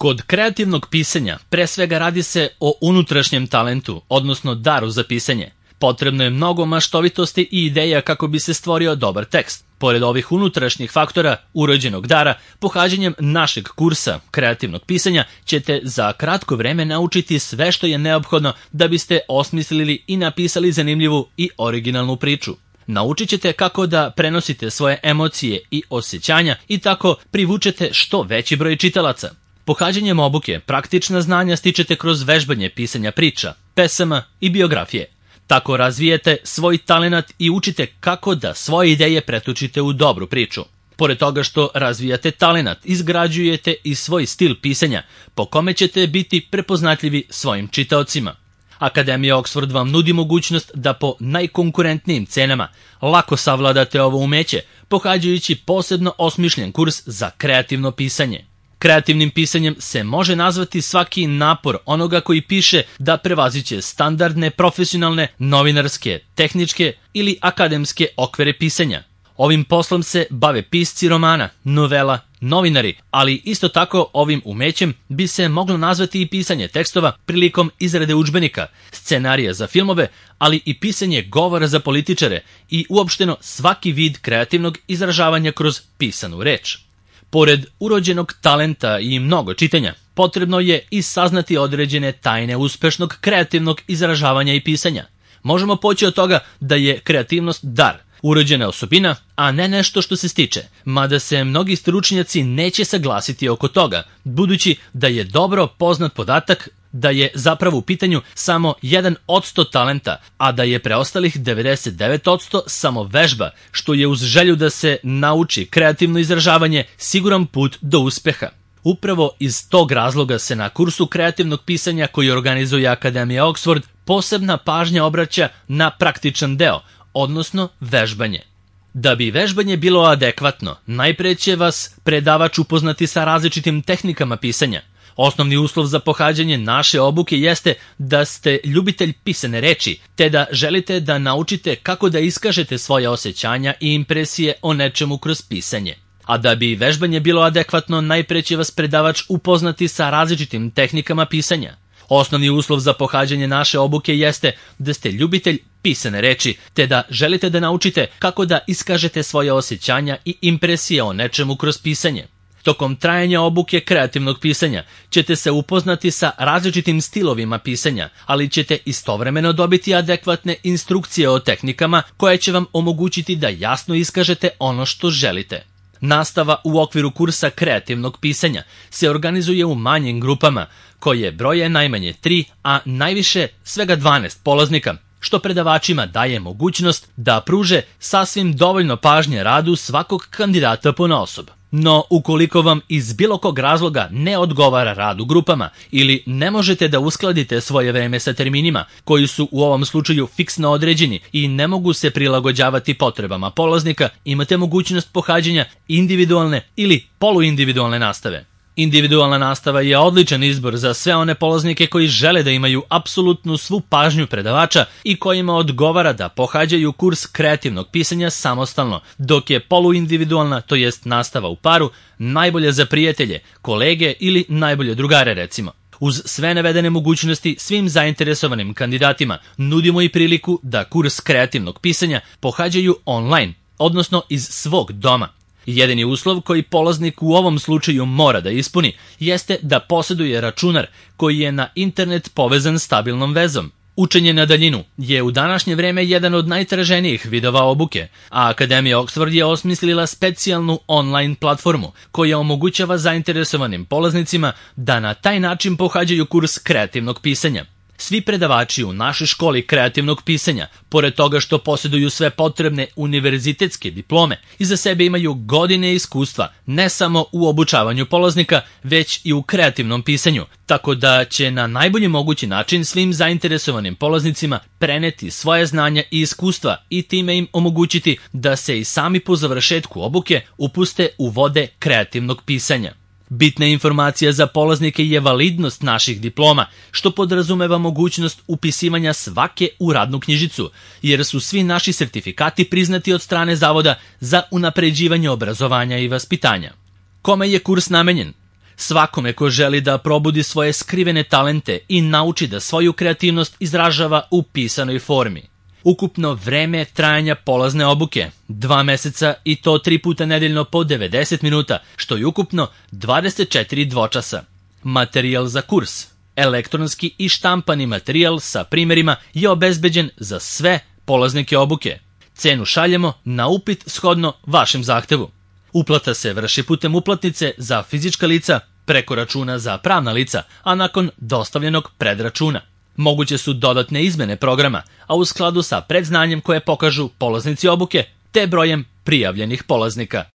Kod kreativnog pisanja pre svega radi se o unutrašnjem talentu, odnosno daru za pisanje. Potrebno je mnogo maštovitosti i ideja kako bi se stvorio dobar tekst. Pored ovih unutrašnjih faktora urođenog dara, pohađanjem našeg kursa kreativnog pisanja ćete za kratko vreme naučiti sve što je neophodno da biste osmislili i napisali zanimljivu i originalnu priču. Naučit ćete kako da prenosite svoje emocije i osjećanja i tako privučete što veći broj čitalaca. Pohađanjem obuke praktična znanja stičete kroz vežbanje pisanja priča, pesama i biografije. Tako razvijete svoj talenat i učite kako da svoje ideje pretočite u dobru priču. Pored toga što razvijate talenat, izgrađujete i svoj stil pisanja, po kome ćete biti prepoznatljivi svojim čitaocima. Akademija Oxford vam nudi mogućnost da po najkonkurentnijim cenama lako savladate ovo umeće, pohađajući posebno osmišljen kurs za kreativno pisanje. Kreativnim pisanjem se može nazvati svaki napor onoga koji piše da prevaziće standardne, profesionalne, novinarske, tehničke ili akademske okvire pisanja. Ovim poslom se bave pisci romana, novela, novinari, ali isto tako ovim umećem bi se moglo nazvati i pisanje tekstova prilikom izrade udžbenika, scenarija za filmove, ali i pisanje govora za političare i uopšteno svaki vid kreativnog izražavanja kroz pisanu reč. Pored urođenog talenta i mnogo čitanja, potrebno je i saznati određene tajne uspešnog kreativnog izražavanja i pisanja. Možemo poći od toga da je kreativnost dar, urođena osobina, a ne nešto što se stiče, mada se mnogi stručnjaci neće saglasiti oko toga, budući da je dobro poznat podatak da je zapravo u pitanju samo 1% talenta, a da je preostalih 99% samo vežba, što je uz želju da se nauči kreativno izražavanje siguran put do uspeha. Upravo iz tog razloga se na kursu kreativnog pisanja koji organizuje Akademija Oxford posebna pažnja obraća na praktičan deo, odnosno vežbanje. Da bi vežbanje bilo adekvatno, najpre će vas predavač upoznati sa različitim tehnikama pisanja. Osnovni uslov za pohađanje naše obuke jeste da ste ljubitelj pisane reči, te da želite da naučite kako da iskažete svoje osjećanja i impresije o nečemu kroz pisanje. A da bi vežbanje bilo adekvatno, najpre će vas predavač upoznati sa različitim tehnikama pisanja. Osnovni uslov za pohađanje naše obuke jeste da ste ljubitelj pisane reči, te da želite da naučite kako da iskažete svoje osjećanja i impresije o nečemu kroz pisanje. Tokom trajanja obuke kreativnog pisanja ćete se upoznati sa različitim stilovima pisanja, ali ćete istovremeno dobiti adekvatne instrukcije o tehnikama koje će vam omogućiti da jasno iskažete ono što želite. Nastava u okviru kursa kreativnog pisanja se organizuje u manjim grupama, koje broje najmanje 3, a najviše svega 12 polaznika, što predavačima daje mogućnost da pruže sasvim dovoljno pažnje radu svakog kandidata ponaosob. No, ukoliko vam iz bilo kog razloga ne odgovara rad u grupama ili ne možete da uskladite svoje vreme sa terminima, koji su u ovom slučaju fiksno određeni i ne mogu se prilagođavati potrebama polaznika, imate mogućnost pohađanja individualne ili poluindividualne nastave. Individualna nastava je odličan izbor za sve one polaznike koji žele da imaju apsolutnu svu pažnju predavača i kojima odgovara da pohađaju kurs kreativnog pisanja samostalno, dok je poluindividualna, to jest nastava u paru, najbolja za prijatelje, kolege ili najbolje drugare recimo. Uz sve navedene mogućnosti svim zainteresovanim kandidatima nudimo i priliku da kurs kreativnog pisanja pohađaju online, odnosno iz svog doma. Jedini uslov koji polaznik u ovom slučaju mora da ispuni jeste da posjeduje računar koji je na internet povezan stabilnom vezom. Učenje na daljinu je u današnje vreme jedan od najtraženijih vidova obuke, a Akademija Oxford je osmislila specijalnu online platformu koja omogućava zainteresovanim polaznicima da na taj način pohađaju kurs kreativnog pisanja. Svi predavači u našoj školi kreativnog pisanja, pored toga što posjeduju sve potrebne univerzitetske diplome, iza sebe imaju godine iskustva ne samo u obučavanju polaznika, već i u kreativnom pisanju, tako da će na najbolji mogući način svim zainteresovanim polaznicima preneti svoje znanja i iskustva i time im omogućiti da se i sami po završetku obuke upuste u vode kreativnog pisanja. Bitna informacija za polaznike je validnost naših diploma, što podrazumeva mogućnost upisivanja svake u radnu knjižicu, jer su svi naši sertifikati priznati od strane Zavoda za unapređivanje obrazovanja i vaspitanja. Kome je kurs namenjen? Svakome ko želi da probudi svoje skrivene talente i nauči da svoju kreativnost izražava u pisanoj formi. Ukupno vreme trajanja polazne obuke 2 meseca i to 3 puta nedeljno po 90 minuta, što je ukupno 24 dvočasa. Materijal za kurs, elektronski i štampani materijal sa primerima je obezbeđen za sve polaznike obuke. Cenu šaljemo na upit shodno vašem zahtevu. Uplata se vrši putem uplatnice za fizička lica, preko računa za pravna lica, a nakon dostavljenog predračuna. Moguće su dodatne izmene programa, a u skladu sa predznanjem koje pokažu polaznici obuke te brojem prijavljenih polaznika.